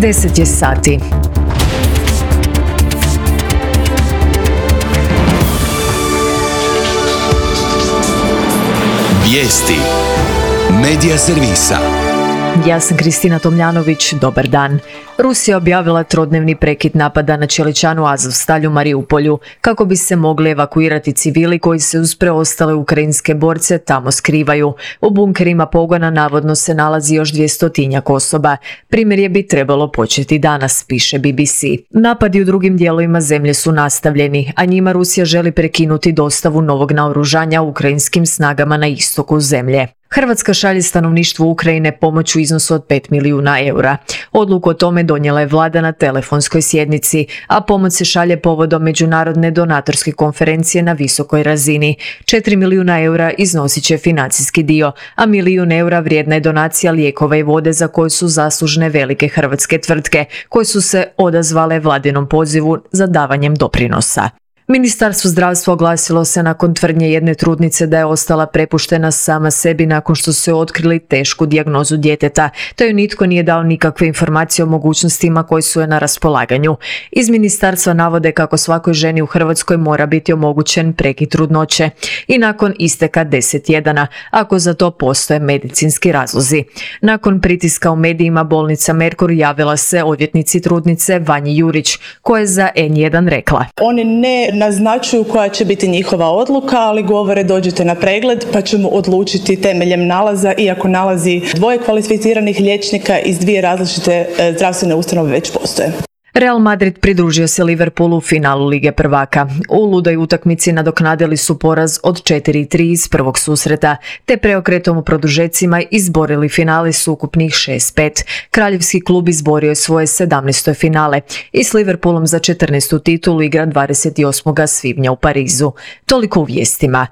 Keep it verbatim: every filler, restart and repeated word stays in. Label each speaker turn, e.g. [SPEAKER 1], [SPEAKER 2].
[SPEAKER 1] deset je sati.
[SPEAKER 2] Vijesti Medija servisa.
[SPEAKER 1] Ja sam Kristina Tomljanović, dobar dan. Rusija objavila trodnevni prekid napada na čeličanu Azovstal u Mariupolju kako bi se mogli evakuirati civili koji se uz preostale ukrajinske borce tamo skrivaju. U bunkerima pogona navodno se nalazi još dvjestotinjak osoba. Primirje bi trebalo početi danas, piše B B C. Napadi u drugim dijelovima zemlje su nastavljeni, a njima Rusija želi prekinuti dostavu novog naoružanja ukrajinskim snagama na istoku zemlje. Hrvatska šalje stanovništvu Ukrajine pomoć u iznosu od pet milijuna eura. Odluku o tome donijela je vlada na telefonskoj sjednici, a pomoć se šalje povodom međunarodne donatorske konferencije na visokoj razini. četiri milijuna eura iznosit će financijski dio, a milijun eura vrijedna je donacija lijekova i vode za koju su zaslužne velike hrvatske tvrtke, koje su se odazvale vladinom pozivu za davanjem doprinosa. Ministarstvo zdravstva oglasilo se nakon tvrdnje jedne trudnice da je ostala prepuštena sama sebi nakon što su otkrili tešku dijagnozu djeteta, te joj nitko nije dao nikakve informacije o mogućnostima koji su joj na raspolaganju. Iz ministarstva navode kako svakoj ženi u Hrvatskoj mora biti omogućen prekid trudnoće i nakon isteka deset tjedana, ako za to postoje medicinski razlozi. Nakon pritiska u medijima bolnica Merkur javila se odvjetnici trudnice Vanji Jurić, koja je za en jedan rekla:
[SPEAKER 3] Oni ne naznačuju koja će biti njihova odluka, ali govore dođite na pregled pa ćemo odlučiti temeljem nalaza, iako nalazi dvoje kvalificiranih liječnika iz dvije različite zdravstvene ustanove već postoje.
[SPEAKER 1] Real Madrid pridružio se Liverpoolu u finalu Lige prvaka. U ludoj utakmici nadoknadili su poraz od četiri tri iz prvog susreta, te preokretom u produžecima izborili finale s ukupnih šest pet. Kraljevski klub izborio je svoje sedamnaesto finale i s Liverpoolom za četrnaestu titulu igra dvadeset osmog svibnja u Parizu. Toliko u vijestima.